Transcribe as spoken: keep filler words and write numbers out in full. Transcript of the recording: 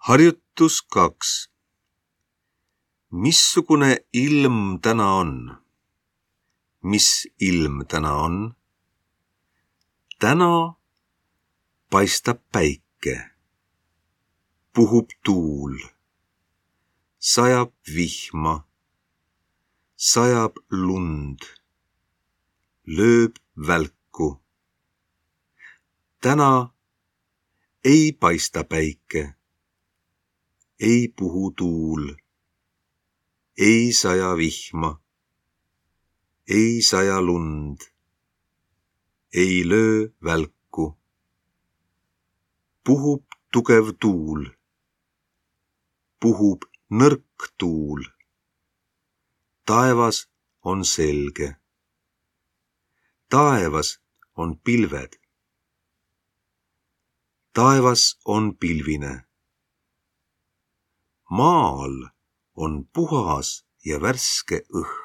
Harjutus kaks. Missugune ilm täna on? Mis ilm täna on? Täna paistab päike, puhub tuul, sajab vihma, sajab lund, lööb välku. Täna ei paista päike, ei puhu tuul, ei saja vihma, ei saja lund, ei löö välku. Puhub tugev tuul, puhub nõrk tuul. Taevas on selge. Taevas on pilved. Taevas on pilvine. Maal on puhas ja värske õhk.